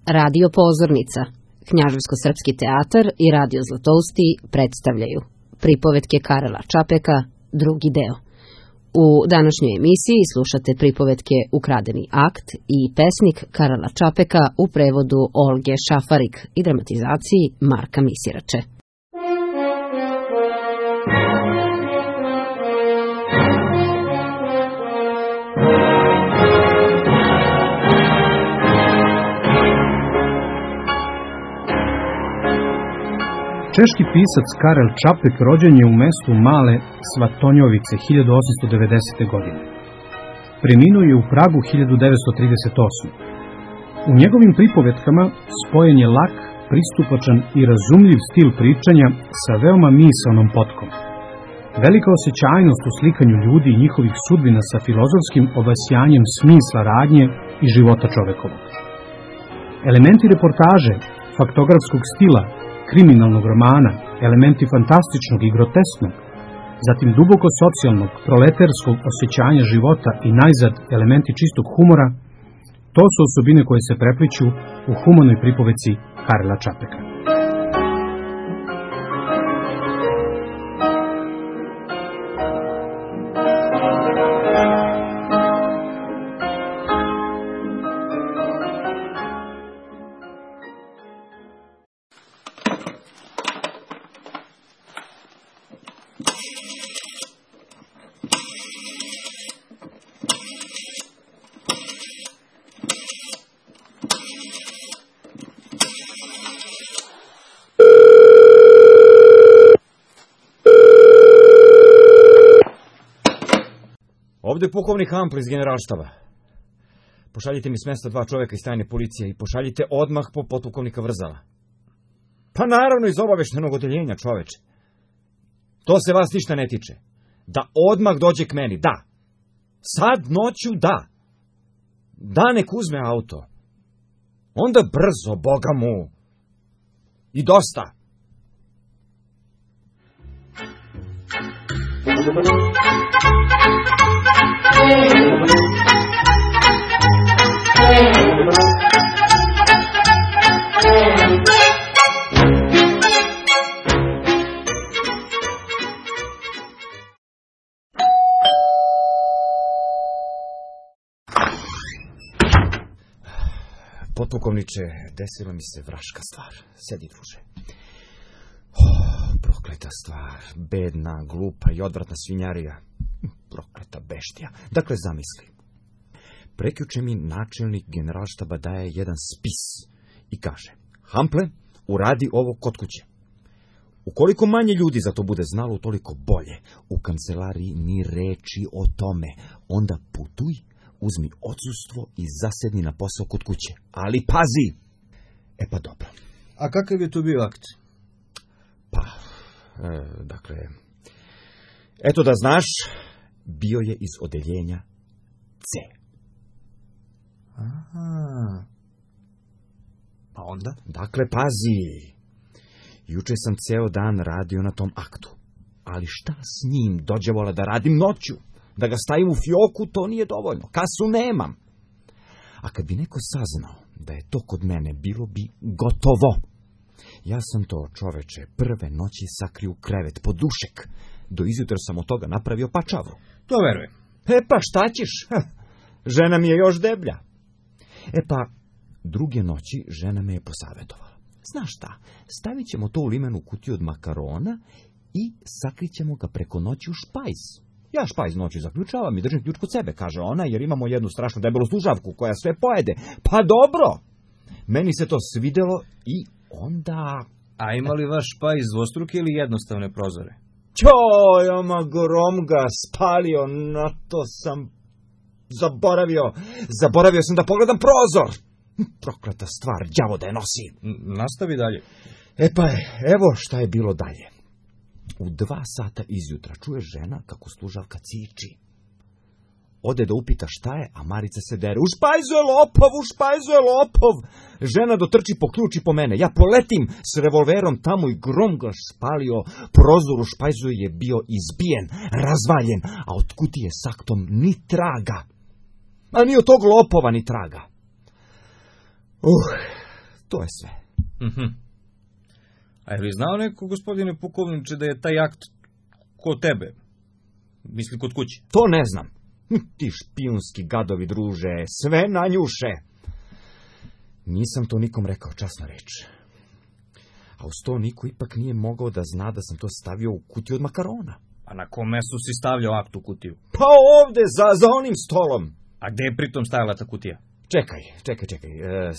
Radio Pozornica, Knjaževsko-srpski teatar i Radio Zlatousti predstavljaju pripovetke Karela Čapeka, drugi deo. U današnjoj emisiji slušate pripovetke Ukradeni akt i pesnik Karela Čapeka u prevodu Olge Šafarik i dramatizaciji Marka Misirače. Češki pisac Karel Čapek rođen je u mestu Male Svatonjovice 1890. godine. Preminuo je u Pragu 1938. U njegovim pripovetkama spojen je lak, pristupačan i razumljiv stil pričanja sa veoma misaonom potkom. Velika osjećajnost u slikanju ljudi i njihovih sudbina sa filozofskim obasjanjem smisla radnje i života čovekovog. Elementi reportaže, faktografskog stila, kriminalnog romana, elementi fantastičnog i grotesknog, zatim duboko socijalnog, proleterskog osjećanja života i najzad elementi čistog humora, to su osobine koje se prepliću u humanoj pripoveci Karela Čapeka. Ovdje je pukovnik Hample iz generalštaba. Pošaljite mi s mesta 2 čovjeka iz tajne policije i pošaljite odmah po potpukovnika Vrzala. Pa naravno iz obaveštenog odeljenja, čoveče. To se vas ništa ne tiče. Da odmah dođe k meni, da. Sad noću, da. Da, nek uzme auto. Onda brzo, Boga mu. I dosta. Potpukovniče, desila mi se vraška stvar. Sedi, druže. Prokleta stvar, bedna, glupa i odvratna svinjarija. Prokleta beštija. Dakle, zamisli. Prekjuče mi načelnik generalštaba daje jedan spis i kaže: Hample, uradi ovo kod kuće. Ukoliko manje ljudi za to bude znalo, toliko bolje. U kancelariji ni reči o tome. Onda putuj, uzmi odsustvo i zasedni na posao kod kuće. Ali pazi! E pa dobro. A kakav je to bio akt? Pa, dakle, eto da znaš, bio je iz odeljenja C. Aha. Pa onda? Dakle, pazi. Juče sam ceo dan radio na tom aktu. Ali šta s njim dođevola da radim noću? Da ga stavim u fioku, to nije dovoljno. Kasu nemam. A kad bi neko saznao da je to kod mene, bilo bi gotovo. Ja sam to, čoveče, prve noći sakrio u krevet pod dušek. Do izjutra sam od toga napravio pačavu. To verujem. E pa šta ćeš? Žena mi je još deblja. E pa, druge noći žena me je posavjetovala. Znaš šta, stavit ćemo to u limenu kutiju od makarona i sakrićemo ga preko noći u špajz. Ja špajz noći zaključavam i držim ključ kod sebe, kaže ona, jer imamo jednu strašnu debelu služavku koja sve pojede. Pa dobro! Meni se to svidelo i onda... A ima li vaš špajz dvostruke ili jednostavne prozore? Ćoj, oma grom ga spalio, na to sam zaboravio sam da pogledam prozor. Prokleta stvar, đavo da je nosi. Nastavi dalje. E pa, evo šta je bilo dalje. U 2 sata izjutra čuje žena kako služavka ciči. Ode da upita šta je, a Marica se dere. U špajzu je lopov, u špajzu je lopov. Žena dotrči po ključ i po mene. Ja poletim s revolverom tamo i grom ga spalio. Prozor u špajzu je bio izbijen, razvaljen, a od kutije s aktom ni traga. A ni od tog lopova ni traga. To je sve. A je li znao neko, gospodine pukovniče, da je taj akt kod tebe? Misli kod kuće? To ne znam. Ti špijunski gadovi, druže, sve nanjuše. Nisam to nikom rekao, časno reč. A uz to niko ipak nije mogao da zna da sam to stavio u kutiju od makarona. A na kom mestu si stavljao akt u kutiju? Pa ovde, za onim stolom. A gde je pritom stajala ta kutija? Čekaj.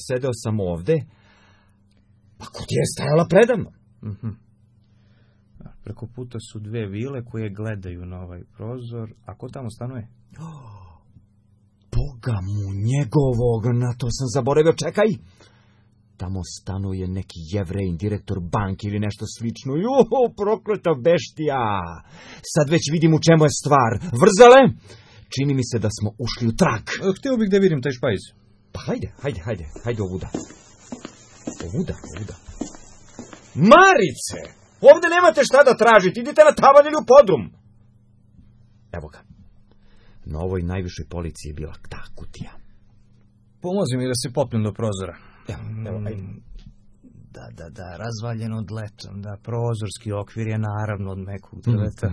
Sedeo sam ovde, pa kutija je stajala predavno. Preko puta su 2 vile koje gledaju na ovaj prozor. A ko tamo stanuje? Boga mu njegovog, na to sam zaboravio, čekaj. Tamo stanuje neki Jevrejin, direktor banke ili nešto slično. Prokleta beštija. Sad već vidim u čemu je stvar. Vrzale, čini mi se da smo ušli u trag. Htio bih da vidim taj špajz. Pa hajde ovuda. Marice, ovde nemate šta da tražite, idite na tavan ili u podrum. Evo ga. Na ovoj najvišoj policiji je bila ta kutija. Pomozi mi da se popnem do prozora. Evo, ajde. Da, razvaljen od letom, da, prozorski okvir je naravno od mekog drveta.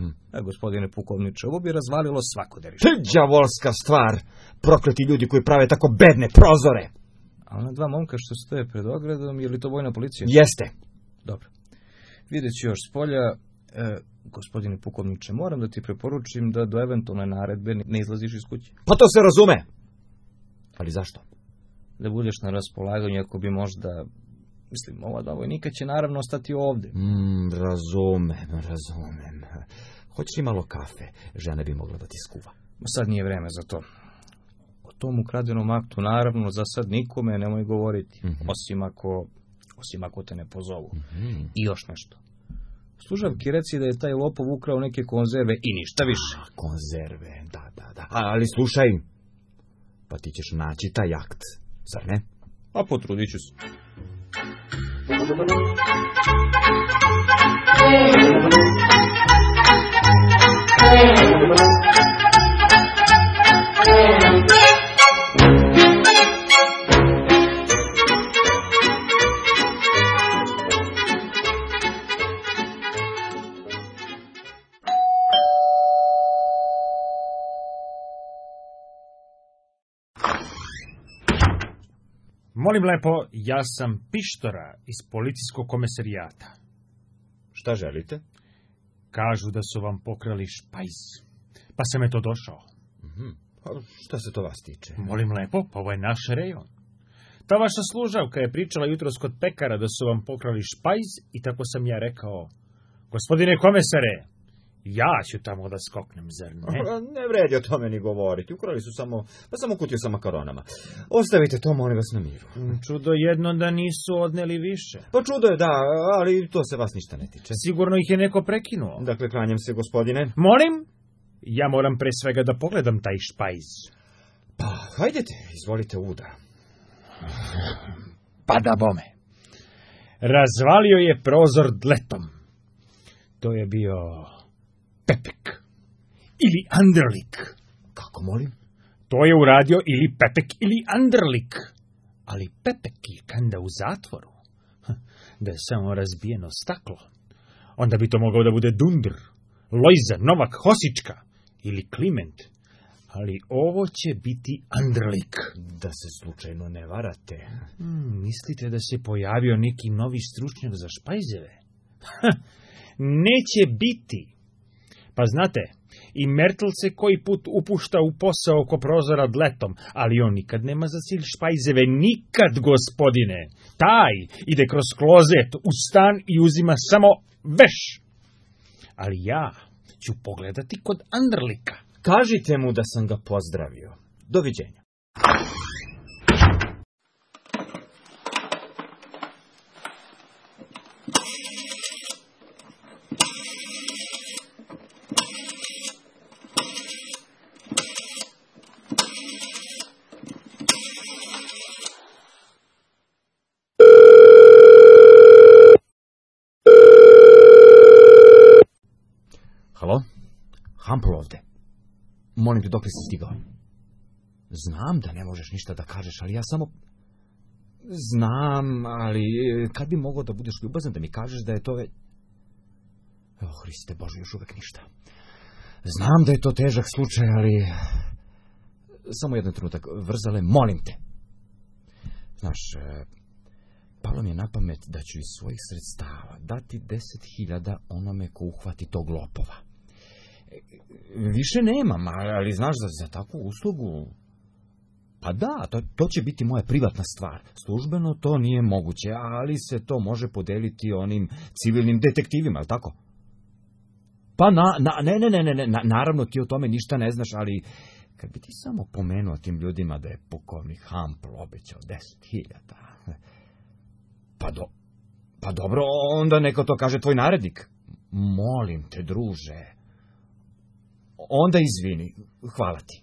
Gospodine pukovniče, ovo bi razvalilo svako derište. Đavolska stvar, prokleti ljudi koji prave tako bedne prozore. A ona 2 momka što stoje pred ogradom, je li to vojna policija? Jeste. Dobro. Vidjet ću još s polja. Gospodine pukovniče, moram da ti preporučim da do eventualne naredbe ne izlaziš iz kuće. Pa to se razume. Ali zašto? Da budeš na raspolaganju ako bi možda... Mislim, ova 2 vojnika će naravno ostati ovde. Razumem. Hoćeš li malo kafe? Žena bi mogla da ti skuva. Sad nije vreme za to. O tom ukradenom aktu naravno za sad nikome nemoj govoriti. Osim ako te ne pozovu. I još nešto. Služavki reci da je taj lopov ukrao neke konzerve i ništa više. Konzerve, da. Ali slušaj, pa ti ćeš naći taj akt, zar ne? A potrudit ću se. Molim lepo, ja sam Pištora iz policijskog komisarijata. Šta želite? Kažu da su vam pokrali špajz, pa sam eto došao. Pa šta se to vas tiče? Molim lepo, pa ovo je naš rejon. Ta vaša služavka je pričala jutros kod pekara da su vam pokrali špajz i tako sam ja rekao, gospodine komesare, ja ću tamo da skoknem, zar ne? Ne vredi o tome ni govoriti, ukrali su samo kutiju sa makaronama. Ostavite to, molim vas, na miru. Čudo jedno da nisu odneli više. Pa čudo je, da, ali to se vas ništa ne tiče. Sigurno ih je neko prekinuo. Dakle, klanjam se, gospodine. Molim? Ja moram pre svega da pogledam taj špajz. Pa, hajdete, izvolite uda. Pa da bome. Razvalio je prozor dletom. To je bio Pepek. Ili Anderlik. Kako, molim? To je uradio ili Pepek ili Anderlik. Ali Pepek je kanda u zatvoru. Da je samo razbijeno staklo. Onda bi to mogao da bude Dundr, Lojza, Novak, Hosička ili Kliment. Ali ovo će biti Anderlik. Da se slučajno ne varate. Mislite da se pojavio neki novi stručnjak za špajzeve? Neće biti. Pa znate, i Mertl se koji put upušta u posao oko prozora dletom, ali on nikad nema za cilj špajzeve, nikad, gospodine. Taj ide kroz klozet u stan i uzima samo veš. Ali ja ću pogledati kod Anderlika. Kažite mu da sam ga pozdravio. Doviđenja. Halo? Hampl ovde. Molim te, dok li si stigao? Znam da ne možeš ništa da kažeš, ali ja samo... Znam, ali kad bi mogao da budeš ljubazan da mi kažeš da je to već... O, Hriste Bože, još uvek ništa. Znam da je to težak slučaj, ali... Samo jedan trenutak, Vrzale, molim te. Znaš, palo mi je na pamet da ću iz svojih sredstava dati 10.000 onome ko uhvati tog lopova. Više nemam, ali znaš, za takvu uslugu... Pa da, to će biti moja privatna stvar. Službeno to nije moguće, ali se to može podeliti onim civilnim detektivima, je li tako? Pa ne, naravno ti o tome ništa ne znaš, ali kad bi ti samo pomenuo tim ljudima da je pukovnik Hampl obećao 10.000... Pa dobro, onda neka to kaže tvoj narednik. Molim te, druže. Onda izvini, hvala ti.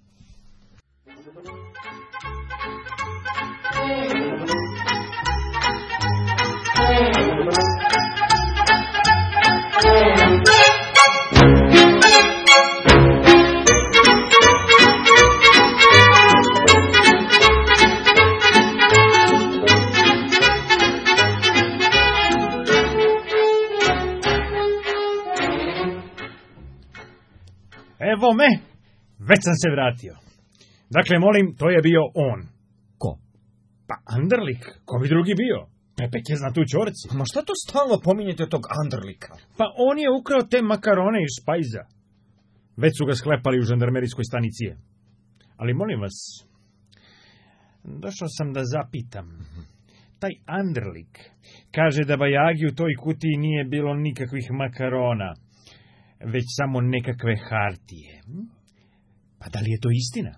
Evo me, već sam se vratio. Dakle, molim, to je bio on. Ko? Pa Anderlik, ko bi drugi bio? Pepek je zna tu čorci. Ma šta to stalno pominjete tog Anderlika? Pa on je ukrao te makarone iz špajza. Već su ga sklepali u žandarmerijskoj stanici. Ali molim vas, došao sam da zapitam. Taj Anderlik kaže da bajagi u toj kutiji nije bilo nikakvih makarona, već samo nekakve hartije. Pa da li je to istina?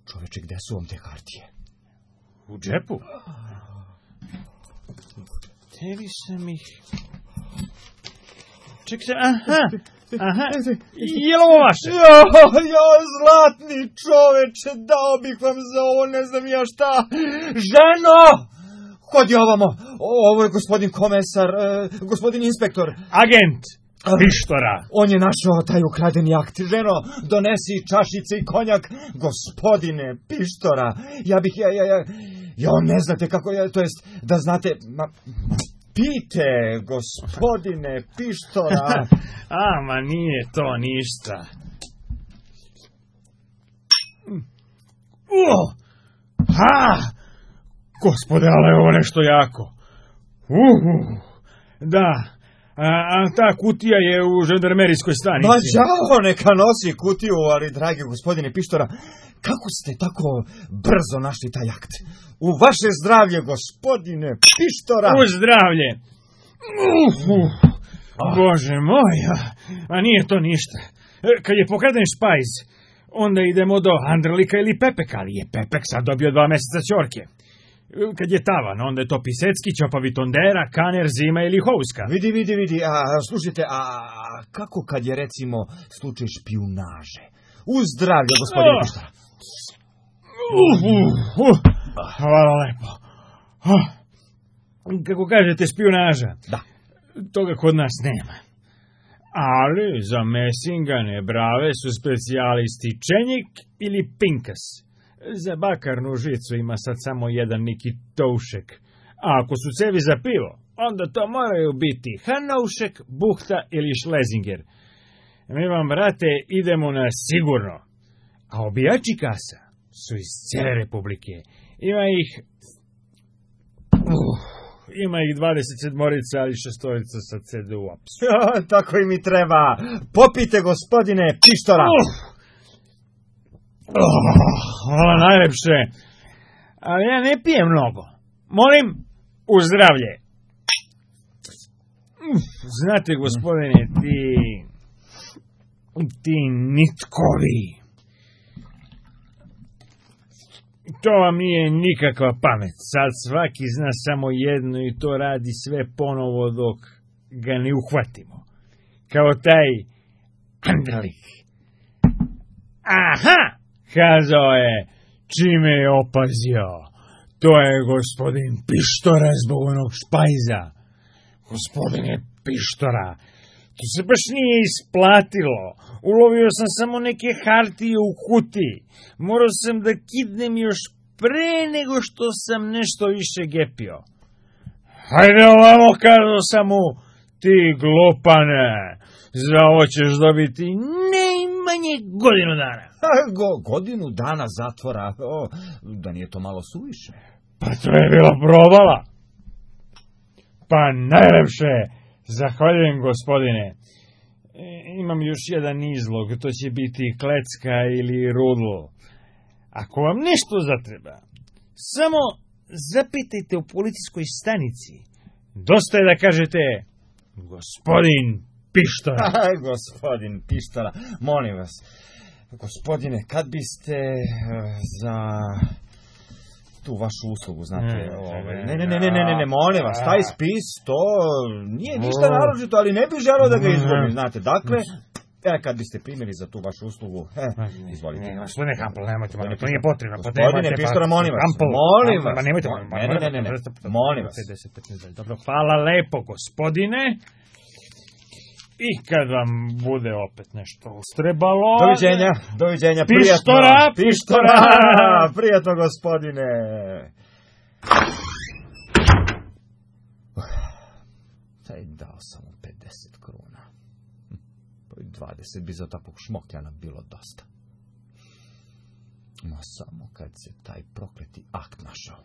Čoveče, gde su vam te hartije? U džepu. Tebi sam ih... Ček se, aha, je li ovo vaše? Ja, zlatni čoveče, dao bih vam za ovo, ne znam ja šta. Ženo! Hodi ovamo, ovo je gospodin komesar, gospodin inspektor. Agent Pištora. On je našao taj ukradeni akt. Ženo, donesi čašice i konjak. Gospodine Pištora, ja ne znate kako je, to jest, da znate, pite, gospodine Pištora. Ma nije to ništa. Gospode, ali je ovo nešto jako. Da. A ta kutija je u žandarmerijskoj stanici. Ma đavo neka nosi kutiju, ali dragi gospodine Pištora, kako ste tako brzo našli taj akt? U vaše zdravlje, gospodine Pištora! U zdravlje! Bože moj, a nije to ništa. Kad je pokraden špajz, onda idemo do Anderlika ili Pepeka, ali je Pepek sad dobio 2 meseca ćorke. Kad je tavan, onda je to Pisecki, Ćopavi Tondera, Kaner, Zima ili Houska. Vidi, slušajte, a kako kad je recimo slučaj špijunaže? U zdravlje, gospodine Pištora. Hvala lepo. Kako kažete, špijunaža? Da. Toga kod nas nema. Ali za mesingane brave su specijalisti Čenjik ili Pinkas. Za bakarnu žicu ima sad samo jedan neki toušek. A ako su cevi za pivo, onda to moraju biti Hanoušek, Buhta ili Šlezinger. Mi vam, brate, idemo na sigurno. A obijači kasa su iz cijele republike. Ima ih 27-orica, ali 6-orica sa CDU-a. Tako i mi treba. Popite, gospodine Pištora. Hvala najlepše. Ali ja ne pijem mnogo. Molim, u zdravlje. Znate, gospodine, ti nitkovi. To vam nije nikakva pamet. Sad svaki zna samo jedno i to radi sve ponovo dok ga ne uhvatimo. Kao taj Anderlik. Aha! Kazao je, čime je opazio. To je gospodin Pištora zbog onog špajza. Gospodine Pištora, to se baš nije isplatilo. Ulovio sam samo neke hartije u kutiji. Morao sam da kidnem još pre nego što sam nešto više gepio. Hajde ovamo, kazao sam mu, ti glupane, za ovo ćeš dobiti najmanje godinu dana. Godinu dana zatvora, da nije to malo suviše. Pa to je bila provala. Pa najlepše, zahvaljujem gospodine. Imam još jedan izlog, to će biti klecka ili rudlo. Ako vam nešto zatreba, samo zapitajte u policijskoj stanici. Dosta je da kažete, gospodin Pištora. Gospodin Pištora, molim vas, gospodine, kad biste za tu vašu uslugu, znate, ne, molim vas, taj spis, to nije ništa naročito, ali ne bih želeo da ga izgubim, znate, dakle, kad biste primili za tu vašu uslugu, izvolite. Gospodine Hampel, nemojte, to nije potrebno. Gospodine Pištora, molim vas, nemojte, molim vas. Dobro, hvala lepo, gospodine. I kad vam bude opet nešto ustrebalo... Doviđenja, Pištora, prijatno, gospodine. Dao sam mu 50 kruna. 20 bi za takvog šmokljana bilo dosta. Ma samo kad se taj prokleti akt našao.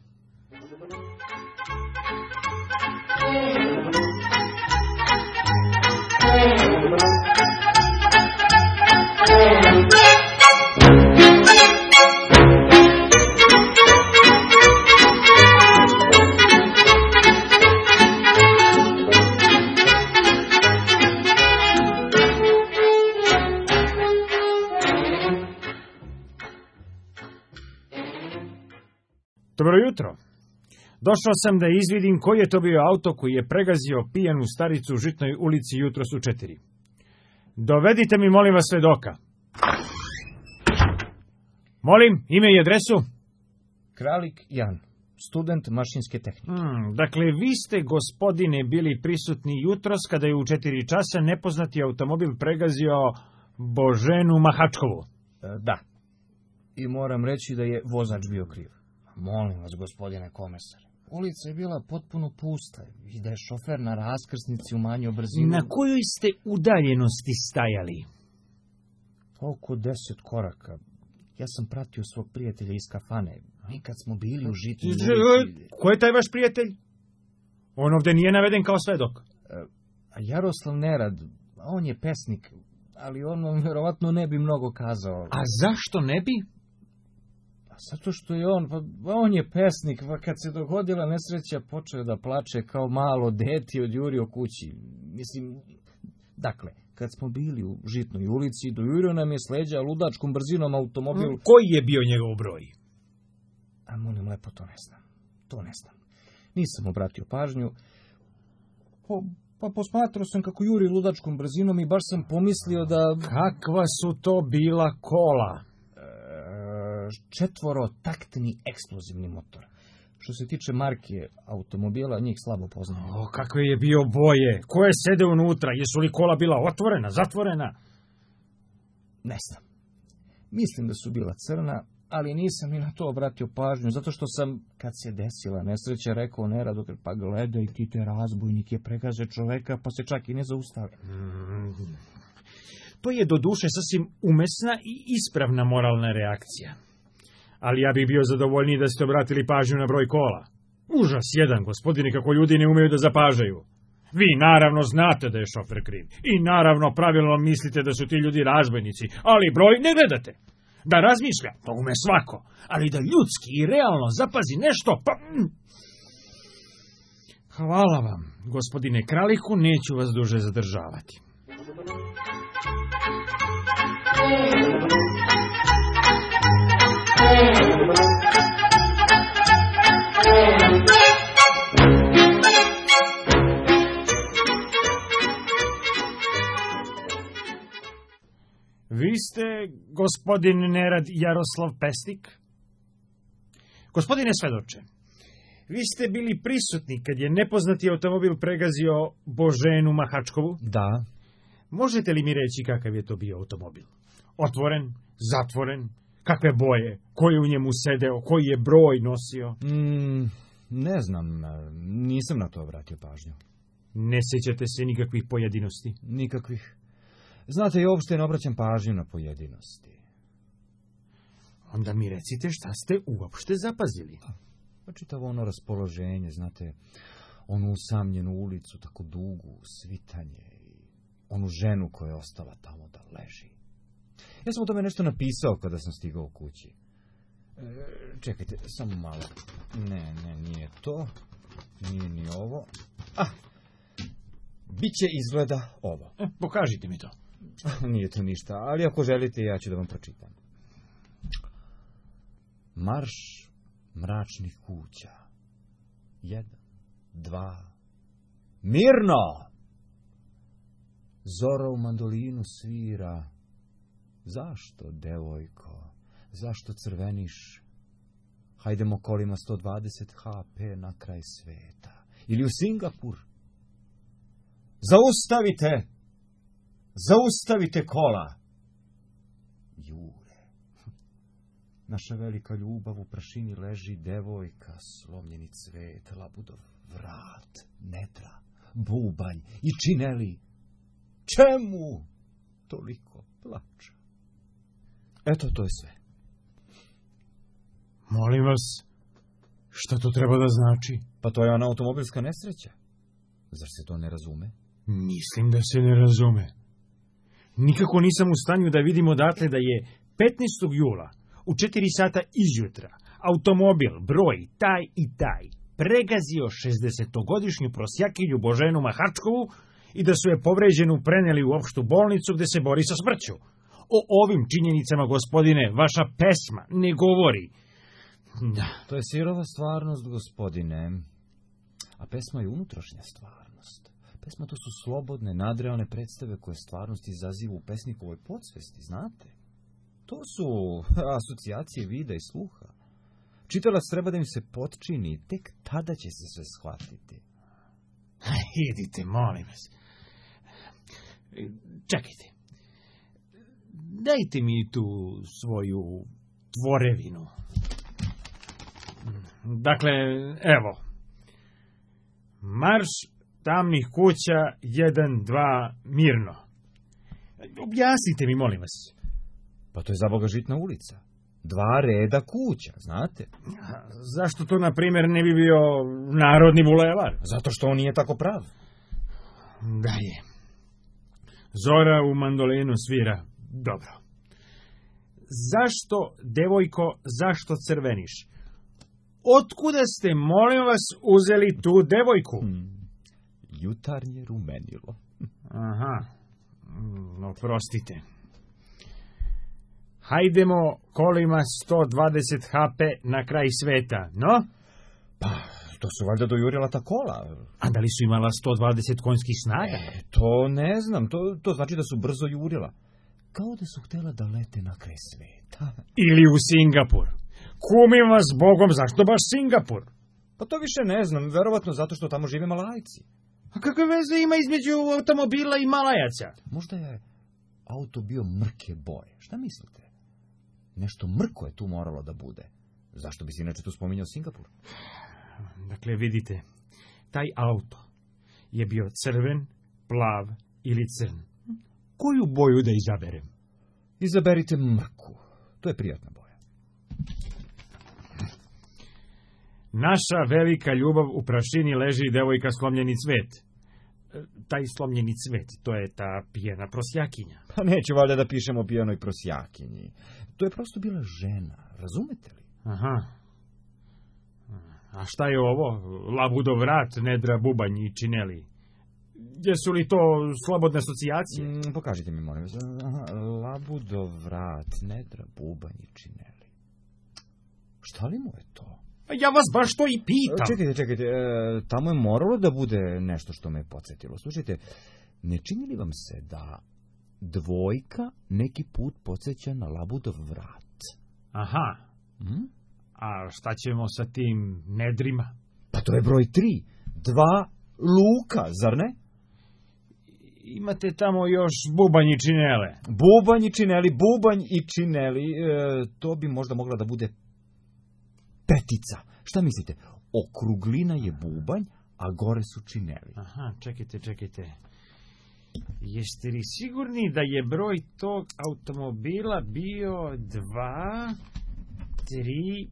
Dobro jutro. Došao sam da izvidim koji je to bio auto koji je pregazio pijanu staricu u Žitnoj ulici jutros u 4. Dovedite mi, molim vas, svedoka. Molim, ime i adresu? Kralik Jan, student mašinske tehnike. Dakle, vi ste, gospodine, bili prisutni jutros kada je u 4 časa nepoznati automobil pregazio Boženu Mahačkovu. Da. I moram reći da je vozač bio kriv. Molim vas, gospodine komesar. Ulica je bila potpuno pusta i da je šofer na raskrsnici umanjio brzinu. Na kojoj ste udaljenosti stajali? Oko 10 koraka. Ja sam pratio svog prijatelja iz kafane. Mi kad smo bili u Žitnoj ulici... Ko je taj vaš prijatelj? On ovdje nije naveden kao svedok. Jaroslav Nerad, on je pesnik, ali on vam vjerovatno ne bi mnogo kazao. A zašto ne bi? Zato što je on je pesnik, pa kad se dogodila nesreća počeo da plače kao malo dete od jurio kući. Mislim, dakle, kad smo bili u Žitnoj ulici, dojurio nam je s leđa ludačkom brzinom automobil. Koji je bio njegov broj? A molim lepo, to ne znam. Nisam obratio pažnju. Pa posmatrao sam kako juri ludačkom brzinom i baš sam pomislio da... Kakva su to bila kola? 4-taktni eksplozivni motor. Što se tiče marke automobila, njih slabo poznajem. Kakve je bio boje? Ko je sede unutra? Jesu li kola bila otvorena, zatvorena? Ne znam. Mislim da su bila crna, ali nisam ni na to obratio pažnju, zato što sam, kad se desila nesreća, rekao Neradu, pa gledaj ti te razbojnik je pregaze čoveka, pa se čak i ne zaustavi. To je do duše sasvim umesna i ispravna moralna reakcija. Ali ja bih bio zadovoljniji da ste obratili pažnju na broj kola. Užas jedan, gospodine, kako ljudi ne umeju da zapažaju. Vi naravno znate da je šofer kriv. I naravno pravilno mislite da su ti ljudi razbojnici, ali broj ne gledate. Da razmišlja, to ume svako, ali da ljudski i realno zapazi nešto, pa... Hvala vam, gospodine Kraliku, neću vas duže zadržavati. Vi ste, gospodin Nerad Jaroslav Pesnik? Gospodine svedoče, vi ste bili prisutni kad je nepoznati automobil pregazio Boženu Mahačkovu? Da. Možete li mi reći kakav je to bio automobil? Otvoren, zatvoren, Kakve boje? Ko je u njemu sedeo? Koji je broj nosio? Ne znam, nisam na to obratio pažnju. Ne sjećate se nikakvih pojedinosti? Nikakvih. Znate, i uopšte ne obraćam pažnju na pojedinosti. Onda mi recite šta ste uopšte zapazili. Pa čitavo ono raspoloženje, znate, onu usamljenu ulicu, tako dugu, svitanje i onu ženu koja je ostala tamo da leži. Ja sam o tome nešto napisao kada sam stigao kući. Čekajte, samo malo. Ne, nije to. Nije ni ovo. Biće izgleda ovo. Pokažite mi to. Nije to ništa, ali ako želite, ja ću da vam pročitam. Marš mračnih kuća. 1, 2. Mirno! Zora u mandolinu svira. Zašto, devojko? Zašto crveniš? Hajdemo kolima 120 HP na kraj sveta. Ili u Singapur. Zaustavite! Zaustavite kola! Jure. Naša velika ljubav u prašini leži, devojka, slomljeni cvet, labudov vrat, nedra, bubanj i čineli. Čemu toliko plača? Eto, to je sve. Molim vas, šta to treba da znači? Pa to je ona automobilska nesreća. Zar se to ne razume? Mislim da se ne razume. Nikako nisam u stanju da vidim odatle da je 15. jula u 4 sata izjutra automobil broj taj i taj pregazio 60-godišnju prosjakinju Boženu Mahačkovu i da su je povređenu preneli u opštu bolnicu gde se bori sa smrću. O ovim činjenicama, gospodine, vaša pesma ne govori. Da. To je sirova stvarnost, gospodine. A pesma je unutrašnja stvarnost. Pesma to su slobodne, nadrealne predstave koje stvarnost izazivu u pesnikovoj podsvesti, znate? To su asocijacije vida i sluha. Čitalac treba da im se potčini, tek tada će se sve shvatiti. Idite, molim vas. Čekajte. Dajte mi tu svoju tvorevinu. Dakle, evo. Marš tamnih kuća 1, 2, mirno. Objasnite mi, molim vas. Pa to je za Boga Žitna ulica. 2 reda kuća, znate? Zašto to, na primjer, ne bi bio Narodni bulevar? Zato što on nije tako prav. Da je. Zora u mandolinu svira. Dobro. Zašto, devojko, zašto crveniš? Otkuda ste, molim vas, uzeli tu devojku? Jutarnje rumenilo. Aha. Oprostite. Hajdemo kolima 120 HP na kraj sveta, no? Pa, to su valjda dojurila ta kola. A da li su imala 120 konjskih snaga? To ne znam, to znači da su brzo jurila. Kao da su htjela da lete na kraj sveta. Ili u Singapur. Kumim vas Bogom, zašto baš Singapur? Pa to više ne znam, verovatno zato što tamo žive Malajci. A kakve veze ima između automobila i Malajaca? Možda je auto bio mrke boje, šta mislite? Nešto mrko je tu moralo da bude. Zašto bi se inače tu spominjao Singapur? Dakle, vidite, taj auto je bio crven, plav ili crn. Koju boju da izaberem? Izaberite mrku. To je prijatna boja. Naša velika ljubav u prašini leži, devojka, slomljeni cvet. Taj slomljeni cvet, to je ta pijena prosjakinja. Pa neću valjda da pišemo o pijenoj prosjakinji. To je prosto bila žena, razumete li? Aha. A šta je ovo? Labudov vrat, nedra, bubanj i čineli. Jesu li to slobodne asocijacije? Pokažite mi, molim vas. Labudov vrat, nedra, bubanj i čineli. Šta li mu je to? Ja vas baš to i pitam. Čekajte, tamo je moralo da bude nešto što me podsjetilo. Slušajte, ne čini li vam se da dvojka neki put podsjeća na Labudov vrat? Aha. A šta ćemo sa tim nedrima? Pa to je broj 3. 2 luka, zar ne? imate tamo još bubanj i činele. Bubanj i čineli, to bi možda mogla da bude petica. Šta mislite? Okruglina je bubanj, a gore su čineli. Aha, čekajte. Jeste li sigurni da je broj tog automobila bio 2, 3,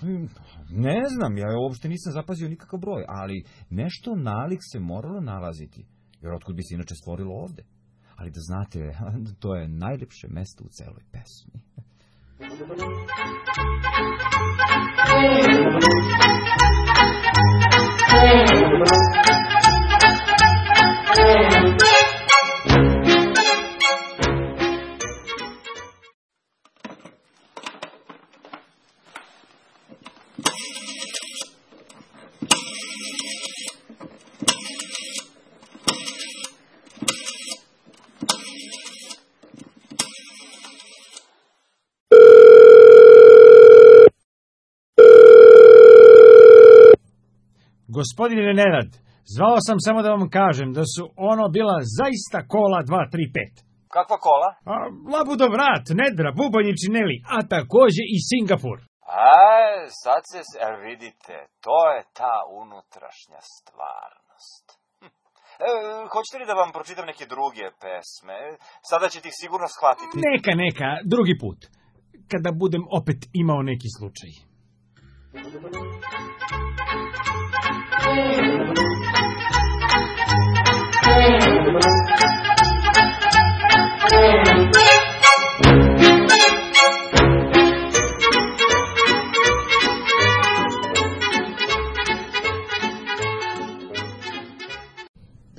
5? Ne znam, ja uopšte nisam zapazio nikakav broj, ali nešto nalik se moralo nalaziti, jer otkud bi se inače stvorilo ovde. Ali da znate, to je najljepše mesto u celoj pesmi. Gospodine Nenad, zvao sam samo da vam kažem da su ono bila zaista kola 2, 3, 5. Kakva kola? Labudovrat, Nedra, bubanj i čineli, a takođe i Singapur. Sad se, vidite, to je ta unutrašnja stvarnost. Hoćete li da vam pročitam neke druge pesme? Sada ćete ih sigurno shvatiti. Neka, drugi put. Kada budem opet imao neki slučaj.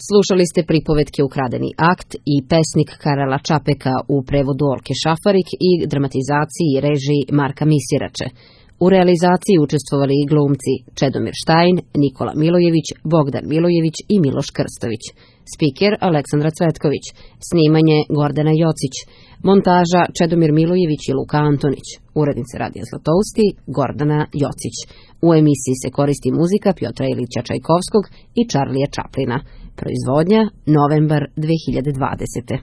Slušali ste pripovetke Ukradeni akt i pesnik Karela Čapeka u prevodu Olke Šafarik i dramatizaciji i režiji Marka Misirače. U realizaciji učestvovali i glumci Čedomir Štajn, Nikola Milojević, Bogdan Milojević i Miloš Krstović. Spiker Aleksandra Cvetković. Snimanje Gordana Jocić. Montaža Čedomir Milojević i Luka Antonić. Urednica Radija Zlatousti Gordana Jocić. U emisiji se koristi muzika Pjotra Ilića Čajkovskog i Charlija Chaplina. Proizvodnja novembar 2020.